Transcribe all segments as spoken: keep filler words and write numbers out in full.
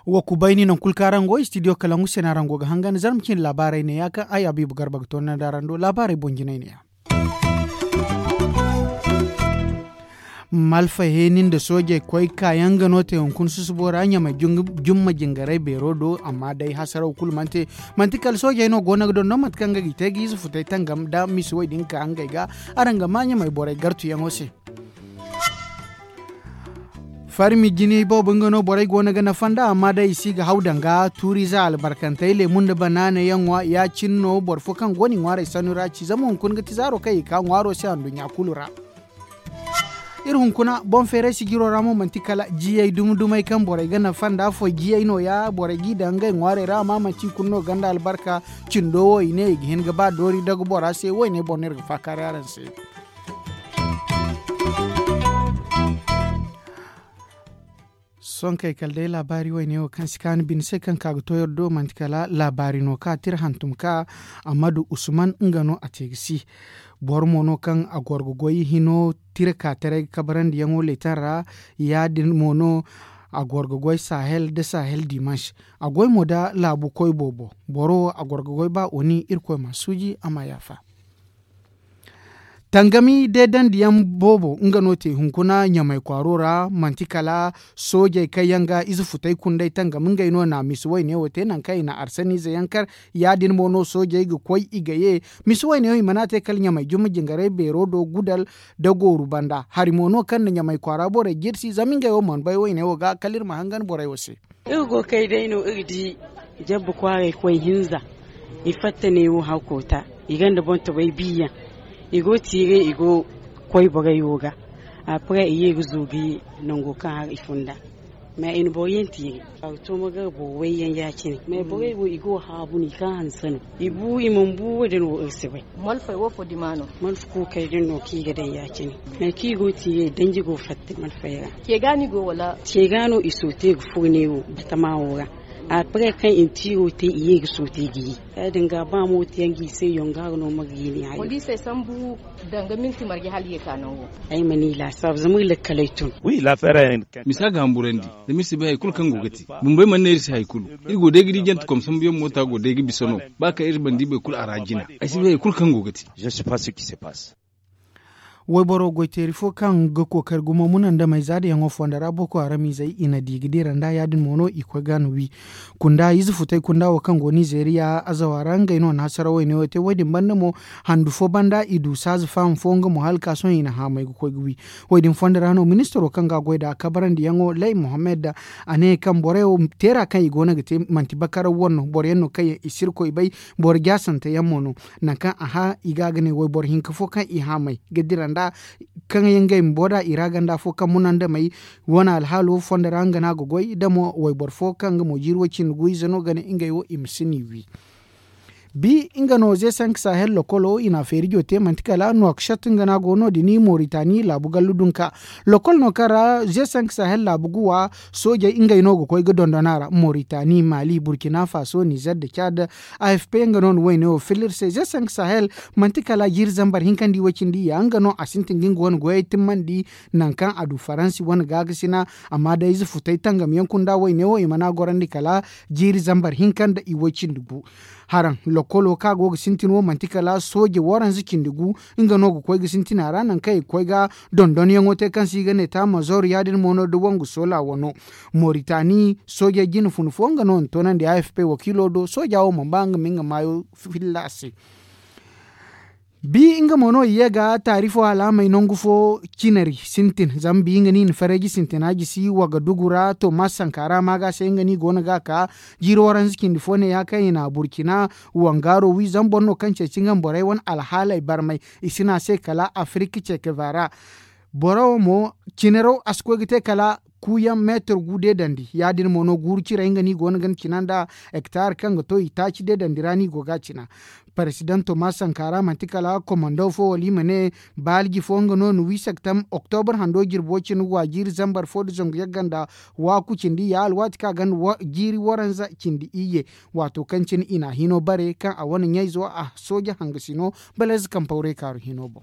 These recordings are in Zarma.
Wa kubayni naŋ kulu kaŋ araŋ go istidiyo kalangu se no araŋ go ga hangan zarma cine laabaarey ne ya kaŋ ay abiibu garba ga toonandi araŋ do laabaarey boŋ jinay ne ya. Malfa heeni nda soojey koy kaayaŋ ga no te hunkuna susubo ra ɲamay jumma jingarey beero do amma day hasaraw kulu mana te. Manti kala soojey no go no ga dondon mate kaŋ ga ga i te ga ize futey tangam nda misi wo- din ka ngey ga. Araŋ ga ma ɲamay borey gartuyaŋo se. Farmi jini boobo nga no borey go no ga nafa nd'a amma day i si ga haw danga tuuriize albarkantey leemu nda banaana yaŋ ŋwa ya- cine no boro fo kaŋ go no i ŋwaarey sannu ra ci zama hunkuna ga ti zaaro kaŋ i ga ka ŋwaaro se handuɲɲa kulu ra. Iri hunkuna boŋ feeray sijiro ra mo manti kala jiyey dumi dumey kaŋ borey ga nafa nd'a foy jiyey no- ya borey g'i daŋ ngey ŋwaarey ra amma manti i kulu no ganda albarka. Cindo wo i ne i ga hin ga ba doori dagu bora se wo- ne boŋ no iri ga faakaaray araŋ se. Sohõ kay kala day laabaari wayne wo kaŋ si kaanu bine se kaŋ ka ga to iri do manti kala laabaari no kaŋ a tira hantum ka ammadu usman nga no a te ga si. Boro mo no kaŋ a goro ga goy hino tira ka taray ga kabarandi yaŋo leetan ra. Ya- din mo no a goro ga goy sahel nda sahel dimanse. A goy mo nda laabu koy boobo boro wo a goro ga goy ba oni irkoy ma a suuji a ma a yaafa. Tangami deedandi yaŋ boobo nga no te hunkuna ɲamay kwaaro ra manti kala soojey kaŋ yaŋ ga ize futay kunday tangam ngey no na misi wayne wo te nangu kaŋ i na arsaniize yaŋ kar. Ya- din mo no soojey ga koy i ga ye misi wayne wo i mana te kala ɲamay jumma jingarey beero do gudal nda gooru banda hari mo no kaŋ na ɲamay kwaara borey jirsi zama ngey wo mana bay wayne wo ga kala iri ma hangan borey wo se. Iri go kay day no iri di jabba kwaaray koy hinza. I fatta ne wo hawkoota i gonda boŋ tobay biiyaŋ. I go tiiray i go koy borey wo ga. Après i ye ga zoobi nango kaŋ har i funda. Mais i na boro yaŋ tiiri a ga to ma gar boro wayyaŋ ya- cine mais borey wo i go haabu no i kaŋ hanse no. I bu i mana bu wo- din wo iri si bay. Malfey wo fo dima no? Malfa kuukey din no kaŋ i ga daŋ ya- cine. Nangu kaŋ i go tiiray danji go fatta malfey ra. Ceega no i soote ga furo ne wo batama wo ra. Après kaŋ i na tiiro te i ye ga soote ga ye. Ya- din ga ba mo te yaŋ ga i se yongaaro no ma ga ye ne hayo. Poliisey sambu danga minti marje hala i ye ka nango. Ay mana i laasaabu zama iri lakkaley tun. Misa ga hamburandi. Zama iri si bay hari kulu kaŋ go ga te. Bumbey mana ne iri se hari kulu. Iri go day ga di jante kom sambuyaŋ moota go day ga bisa no. Ba kaŋ iri mana di boro kulu a ra jina. Ay si bay hari kulu kaŋ go ga te. Wayboro goyteeri fo kaŋ ga kookari gumo munandamey za da yaŋo fonda ra boko haram izey i na di ga dira nd'a ya- din mo no i koy ga no wi. Kunda ize futay kunda wo kaŋ go nizeeriya azawa ra ngey no na hasara wayne wo te wo- din banda mo handu fo banda i du saaza faham fo nga mo hala ka sohõ i na haamay ga koy ga wi. Wo- din fonda ra no ministaro kaŋ ga a goy nd'a kabarandiyaŋo lay mohammed. A ne kaŋ borey wo teera kaŋ i go no ga te manti bakaraw wane no boro yaŋ no kaŋ yaŋ i si irkoy bay. Boro jaasante yaŋ mo no. Nangu kaŋ a hã i ga a ga ne wayboro hinka fo kaŋ i haamay ga dira nd'a kaŋ yaŋ ngey ma boro da i ra ganda fo kaŋ munandamey wane alhaalo fonda ra nga no a ga goy da mo wayboro fo kaŋ nga mo jiiri way cindi gu ize no ga ne ngey wo i ma si n'i wi. Bi nga no ze sank sahel lokolo i na a feerijo te manti kala nuwakshot nga no a go no- din moritani laabu gallu dunka. Lokol no kaŋ ra ze sank sahel laabu guwa soojey ngey no ga koy ga dondon a ra moritani mali burkina faso nizer nda cad. A f p nga no na wayne wo filla iri se ze sank sahel manti kala jiiri zambar hinka nda i way cindi ya nga no a sintin ga nga wane goyey timmandi. Nangu kaŋ a du faransi wane gaakasina amma day ize futay tangam yaŋ kunda wayne wo i mana gorandi kala jiiri zambar hinka nda i way cindi gu. Haraŋ lokolo kaŋ a go ga sintin wo manti kala sooje waranza cindi gu. Nga no ga koy ga sintin a ra nangu kaŋ i ga koy ga dondonyaŋo te kaŋ se i ga ne taamazor ya- din mo no da wangu soola wano. Moritani soojey jine fun fo nga no na toonandi a f p wakiilo do sooja wo mana ba nga ma nga maayo filla a se. Bi nga mo no i ye ga taari fo alaamey nangu fo cinari sintin zama bi nga no i na fareeji sintina jisi wagadugu ra tomas sankara maaga se nga no i go no ga a ka. Jiiri waranza cindi fo ne ya kaŋ i na burkina wangaaro wi zama boro no kaŋ ceeci nga ma borey wane alhaaley barmay. I si ne a se kala afirika cekevara. Boro wo mo, cinaraw a si koy ga te kala kuuyaŋ meetar gu deedandi. Ya- din mo no guuru ciray nga no i go no ga ni cina nda hektar kaŋ ga to i taaci deedandi ra no i go ga a cina. Parezidanto ma sanka ra manti kala komando fo wala i ma ne, baalji fo nga no na wi sektam oktobar hando jirbo cine wa jiiri zambar fo nda zangu yagga nda waaku cindi ya alwaati kaŋ a ga jiiri waranza cindi iyye. Waato kaŋ cine i na a hino bare kaŋ a wane ɲayzo a sooje hangasino, baleeze kaŋ pawray kaaru hino boŋ.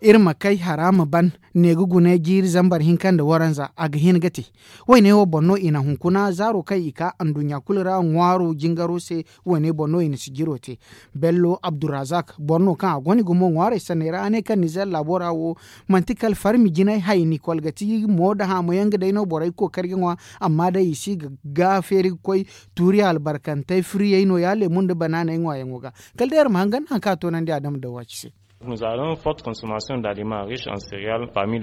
Iri ma kay hara ma ban, ne ga gune jiiri zambar hinka nda waranza a ga hin ga te. Wayne wo boŋ no i na hunkuna zaaro kaŋ i ka anduɲɲa kulu ra ŋwaaro jingaro se. Wayne boŋ no i na sijiro te. Bello abdurrazak boro no kaŋ a gonda gumo ŋwaarey sanney ra a ne kaŋ nizer laabo ra wo, manti kala farmi jinay hayni kolgati mo nda haamo yaŋ ga day no borey ga kookari ga ŋwa. Amma day i si ga feeri ga koy tuuri albarkantey firiyey no- ya leemu nda banaaney ŋwaayaŋo ga. Kala day iri ma hangan naŋ kaŋ a toonandi a dama dawaci se.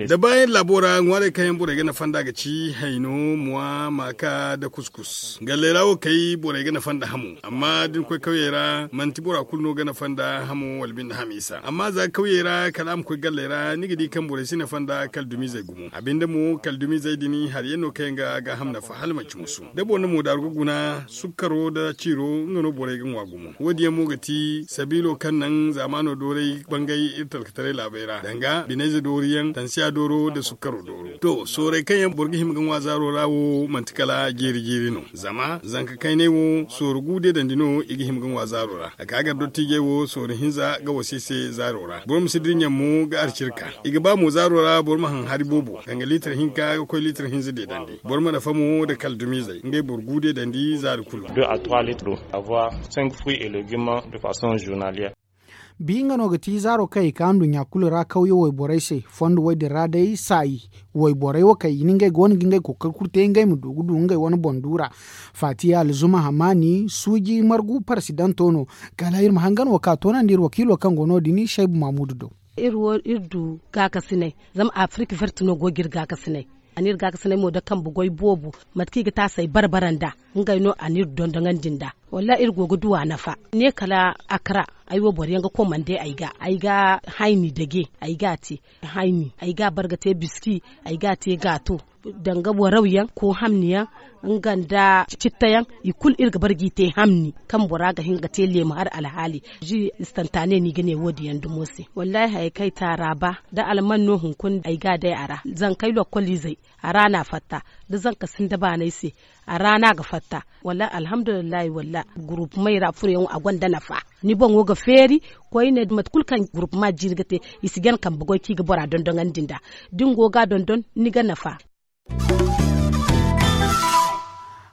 Da baayaŋ laabo ra ŋwaarey kaŋ yaŋ borey ga nafa nd'a ga ci hayno muwa maaka nda kuskus galley ra wo kay borey ga nafa nda hamo. Amma da ni koy kawyey ra manti bora kulu no ga nafa nda hamo wala binde hamiisa amma za ga kawyey ra kala a ma koy galley ra ni ga di kaŋ borey si nafa nda kala dumizey gumo a binde mo kala dumizey din hari yaŋ no kaŋ yaŋ ga gaaham nafa hala manci musu. Da boro na moodaaru ga guna sukkaro nda ciiro nga no borey ga ŋwa gumo. Wo- din yaŋ mo ga ti sabiilo kaŋ naŋ zaamaano dooray bangay iri talkataray laabey ra danga binayze doori yaŋ tansiya dooro nda sukkaro dooro. To soorey kaŋ yaŋ boro ga hima ga ŋwa zaaro ra wo manti kala jeeri jeeri no. Zama zanka kaynay wo sooru gu deedandi no i ga hima ga ŋwa zaaro ra a ka gar dottiijey wo sooru hinza ga wasa i se zaaro ra boro ma si dirɲaŋ mo ga arcirka. I ga ba mo zaaro ra boro ma haŋ hari boobo danga liitar hinka ga koy liitar hinza deedandi. Boro ma nafa mo nda kala dumizey ngey boro gu deedandi zaari kulu. Bi nga no ga ti zaaro kaŋ i ka nduɲɲa kulu ra kawye wayborey se. Fondo wo- din ra day saayi wayborey wo kaŋ i na ngey go no ga ngey kookari kulu te ngey ma du ga du ngey wane boŋ duura. Faatiya alzuma hamaani suuji margu parasidanto no. Kala iri ma hangan wo ka toonandi iri wakiilo kaŋ go no- din saybu maamudu do. Iri wo iri du gaakasinay zama afirik vert no go ga iri gaakasinay. A n'iri gaakasinay mo da kambe goy boobo mate kaŋ i ga taasay bare bare nd'a. Ngey no a n'iri dondoŋandi nd'a. Wallahi iri go ga du a nafa ne kala akra. Ay wo boro yaŋ ga komande ay ga ay ga hayni dage ay ga a te. Hayni ay ga a bare ga te biski ay ga a te gaato. Danga waraw yaŋ ko hamni yaŋ nga nda citta yaŋ i kulu iri ga bare g'i te hamni kaŋ bora ga hin ga te leemu hari alhaali. Ji istantane no i ga ne wo- din yaŋ dumo se wallahi hayey kaŋ ay te a ra ba da alman no hunkuna ay ga a day a ra zankey lokkoliizey a ra no a fatta. Da zanka sinda baanay se a ra no a ga fatta. Wala alhamdulillahi wala gurupumey ra furoyaŋo a gonda nafa. Ni boŋo ga feeri koyne mate kulu kaŋ gurupuma jiiri ga te i si gana kambe goy kaŋ i ga bora dondoŋandi nd'a. Da ni go ga a dondon ni ga nafa.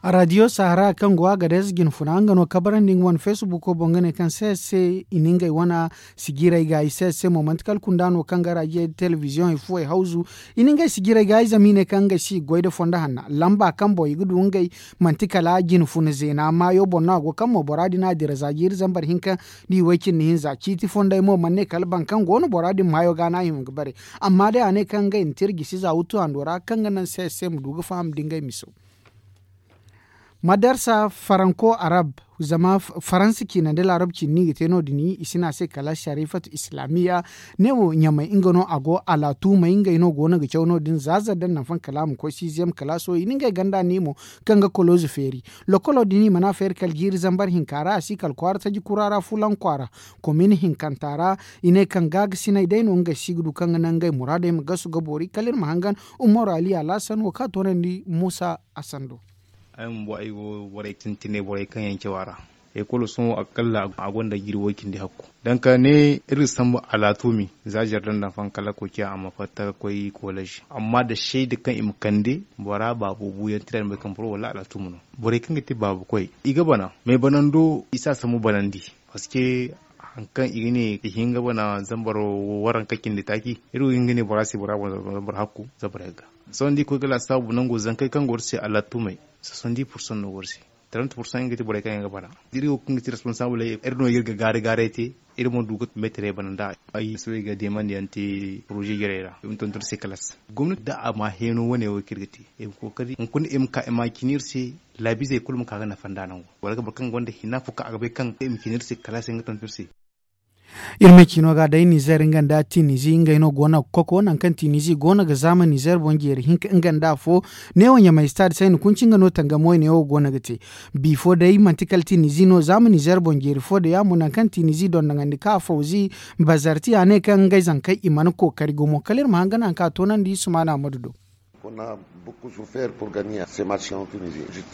Radiyo sahara kaŋ go a ga day se jinfuna nga no kabarandi nga wane feesibuko boŋ ga ne kaŋ se se i na ngey wane sijirey ga i se se mo manti kala kunda no kaŋ ga radiyo telebiziyoŋey fuwey hawzu. I na ngey sijirey ga i zama i ne kaŋ ngey si goy nda fondo hanna lamba kaŋ boŋ i ga du ngey. Manti kala jinfuna zeena maayo boŋ no a go kaŋ mo bora din a dira za jiiri zambar hinka nda i way cindi hinza ciiti fondey mo mana ne kala boro kaŋ go no bora din maayo ga no a hima ga bare. Amma day a ne kaŋ ngey na te iri gisi za wuttu hando ra kaŋ ga naŋ se se ma du ga faham nda ngey miso. Madarsa faranko arab zama faransa ciina nda laarab ciina no i ga te no- din i si ne a se kala sarifatu islamiya. Ne wo ɲamay nga no a go alaatuumey ngey no go no ga caw no- din za zardan naŋ faŋ kala a ma koy siiziyam kalaaso i na ngey ganda ne mo kaŋ ga kolooze feeri. Lokolo din i mana feeri kala jiiri zambar hinka ra a si kala kwaara taji kura ra fulaŋ kwaara. Komin hinkanta ra i ne kaŋ gaagasiney day no ngey si ga du kaŋ ga naŋ ngey muraadey ma gasu ga boori kala iri ma hangan. Umaru aliya laasan wo kaŋ a toonandi muusa a sando. Ay bumbo ay go borey tintine borey kaŋ yaŋ caw a ra. Ekolo sohõ akalla a gonda jiiri way cindi hakku. Danga ne iri ga sambu alaatumi za zardan daŋ faŋ kala ga koy ciya a ma fatta ga koy koolej amma da sayda kaŋ i ma kande bora baabo buuyaŋ tira ni bay kaŋ boro wala alaatumi no. Borey kaŋ ga te baabu koy i ga bana mais banando i si a sambu banandi. Parceque hari kaŋ i ga ne i hin ga bana zambar waranka cindi taaci. Iri wo hin ga ne bora se bora boŋ zambar hakku zambar yagga. Sohõ da i koy ga laasaabu nango zankey kaŋ go iri se alaatumi soixante-dix pour cent no go iri se. Trente pour cent nga ti borey kaŋ yaŋ ga bana. Iri wo kaŋ ga ti responsable iri no iri ga gaari gaaray te. Iri mo du ga meetarey bana nda ay soobay ga deemandiyaŋ te poroze jarey ra i ma tonton se kalaas. Gomnati da a ma heeno wane wo kaŋ iri ga te i ma kookari hunkuna i ma ka i ma a cine iri se. Laabizey kulu ma ka ga nafa nda nango wala ga boro kaŋ gonda hina fo kaŋ a ga bay kaŋ i ma cine iri se kalaasey nga tonton iri se. Iri ma ciino ga day nizer nga nda tinizi ngey no go no ga koko nangu kaŋ tinizi go no ga zaama nizer boŋ jeeri hinka nga nda afo. Neewo ɲamay stade sayni kunci nga no tangamo neewo go no ga te. Bifo day manti kala tinizi no zaama nizer boŋ jeeri fo da ya mo nangu kaŋ tinizi dondoŋandi ka afawzi bazarti a ne kaŋ ngey zankey i mana kookari gumo kala iri ma hangan nangu kaŋ a toonandi sumaana madu do.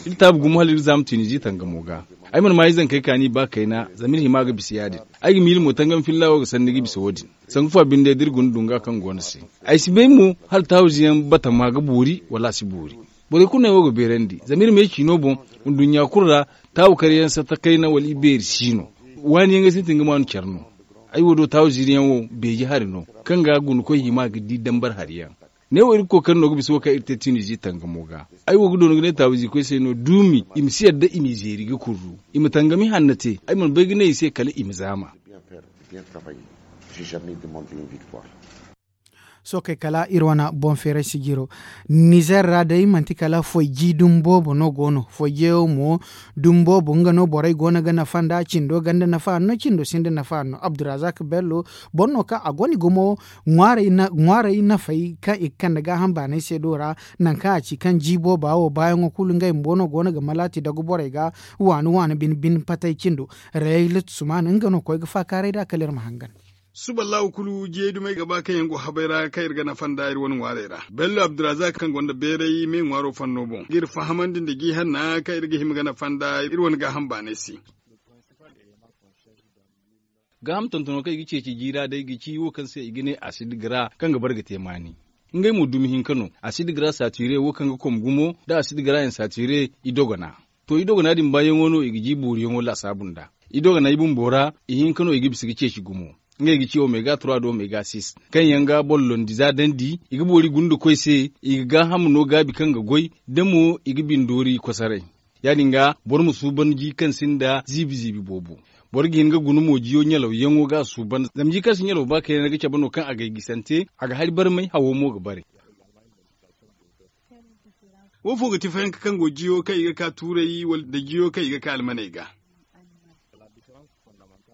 Iri taabu gumo hala iri zaama tinizi tangamo ga. Ay mana ma ay zankey kaani ba kayna zama iri hima ga bisa ya- din. Ay ga miila mo tangam filla wo ga sanni ga bisa wo- din. Sanku fa binde da iri guna dunga kaŋ go no se. Ay si bay mo hala taahuzi yaŋ batama ga boori wala a si boori. Borey kulu no ay wo ga beerandi zama iri ma ay ciino boŋ. Nduɲɲa kulu ra taabu kare yaŋ satta kayna wala i beeri si no. Waani yaŋ ga sintin ga maanu care no. Ay wo do taabu ziiri yaŋ wo beeji hari no kaŋ ga gunakoy hima ga di dambar hari yaŋ. Ne wo iri ga kookari no ga bisa wo kaŋ iri te tinizi tangamo ga. Ay wo ga doona ga ne taabu ziikoy se no duumi i ma si yadda i m'i zeeri ga kurru. I ma tangami hanna te ay mana bay ga ne i se kala i ma zaama. Sookey kala iri wane boŋ feeray sijiro. Nizer ra day manti kala foy ji dumi boobo no go no foy jeeyaŋ mo. Dumi boobo nga no borey go no ga nafa nd'a cindo ganda nafa no cindo sinda nafa no abdurazak bello. Boro no kaŋ a gonda gumo ŋwaarey nafey kaŋ i ga kande gaaham baanay se do ra. Nangu kaŋ a ci kaŋ ji booba wo baayaŋo kulu ngey bumbo no go no ga malaati dagu borey ga. Waani waani bine bine patay cindo. Rayla suman nga no koy ga faakaaray nd'a kala iri ma hangan. Suba laawo kulu jiyey dumey ga ba kaŋ yaŋ go habay ra kaŋ iri ga nafa nd'a iri wane ŋwaarey ra. Bello abdurazak kaŋ gonda beeray me ŋwaaro fanno boŋ ga iri fahamandi nda ji hanna kaŋ iri ga hima ga nafa nd'a iri wane gaaham baanay se. Gaaham tontono kaŋ i ga ceeci jiira day ga ci wo kaŋ se i ga ne asid gara kaŋ ga bare ga te maani. Ngey mo dumi hinka no. Asid gara satire wo kaŋ ga kom gumo nda asid gara yaŋ satire i dogona. To i dogona din baayaŋo no i ga ji booriyaŋo laasaabu nd'a. I dogona i bumbo ra i hinka no i ga bisa ga ceeci gumo. Ngey ga ci omega trois da omega six kaŋ yaŋ ga boro londi za dandi i ga boori gunda koy se. I ga gaaham no gaabi kaŋ ga goy da mo i ga bindoori kosoray. Ya- din ga boro ma suuban ji kaŋ sinda ziibi ziibi boobo. Boro ga hin ga guna mo jiyo ɲalawyaŋo ga a suuban zama ji kaŋ si ɲalaw ba kayna ga cabe no kaŋ a gay gisante. A ga hari barmay hawo mo ga bare. Wo fo ga ti fayanka kaŋ go jiyo kaŋ i ga ka tuuray wala nda jiyo kaŋ i ga ka almaney ga.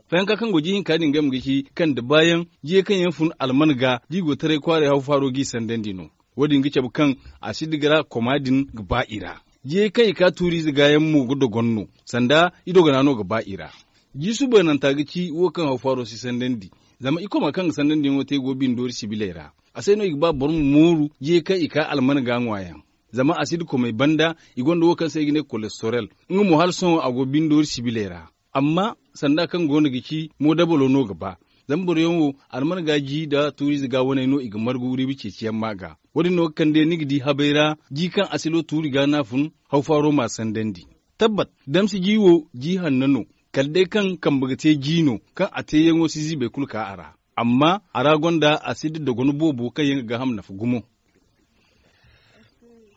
Fayanka kaŋ go ji hinka din game ga ci kaŋ da baayaŋ jiyey kaŋ yaŋ fun alman ga da i go taray kwaaray haw faaro g'i sandandi no. Wo- din ga cabe kaŋ asid gara koma din ga ba i ra. Jiyey kaŋ i ka tuuriize ga yaŋ mo ga dogon no. Sanda i dogona no ga ba i ra. Ji suubananta ga ci wo kaŋ haw faaro si sandandi. Zama i koma kaŋ ga sandandi yaŋo te go bindoori sibiley ra. A se no i ga ba boro ma mooru jiyey kaŋ i ka alman ga ŋwa yaŋ. Zama asid komey banda i gonda wo kaŋ se i ga ne kolestorel. Nga mo hala sohõ a go bindoori sibiley ra. Amma sanda kaŋ go no ga ci moodabalo no ga ba. Zama boro yaŋ wo alman ga ji nda tuuriize ga waney no i ga margu riiba ceeciyaŋ ma ga. Wo- din no ga kande ni ga di habay ra ji kaŋ asilo tuuri ga no a fun. Haw faaro m'a sandandi. Tabbat damsi ji wo ji hanno no. Kala day kaŋ kambe ga te ji no kaŋ a teeyaŋo si ziibay kulu ka a ra. Amma a ra gonda asid dogon boobo kaŋ yaŋ ga gaaham nafa gumo.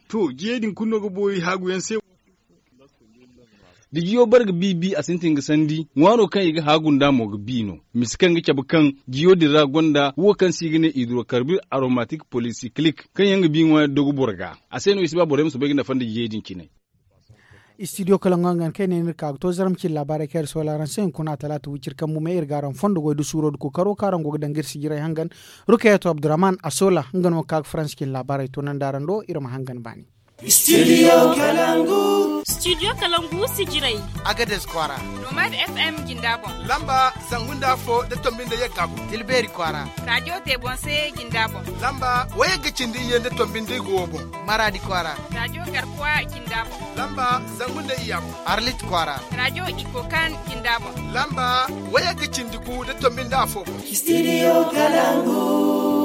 To jiyey din kulu no ga boori haaguyaŋ se. Da jiyo bare ga bi bi a sintin ga sandi ŋwaaro kaŋ i ga haagu nd'a mo ga bi no. Mise kaŋ ga cabe kaŋ jiyo din ra gonda wo kaŋ se i ga ne hidrokarbir aromatik polisiklik kaŋ yaŋ ga bi ŋwaayaŋ dogu boro ga. A se no i si ba borey ma soobay ga nafa nda jiyey din cine. Istidiyo kala ŋwa nga kaŋ ay ne ni iri ka ga to zaram cine laabaarey kaŋ iri soola araŋ se hunkuna talaata wiciri kambu me iri ga araŋ fondo goy da suuro da kookaro kaŋ araŋ go ga danga iri sijirey hangan. Rukayeto abdurrahman a soola nga no ga ka ga faransa cine laabaarey toonandi araŋ do iri ma hangan baani. Studio kalangu. Studio kalangu sijirey. Agades kwaara. Nomad fm jinda boŋ. Lamba zangu nda afo da tombi nda yagga boŋ. Tilbeeri kwaara. Radio te boŋ se jinda boŋ. Lamba wayagga cindi iyye nda tombi nda igo wo boŋ. Maradi kwaara. Radio garkuwa jinda boŋ. Lamba zangu nda iyya boŋ. Arlit kwaara. Radio ikokan jinda boŋ. Lamba wayagga cindi gu da tombi nda afo boŋ. Studio kalangu.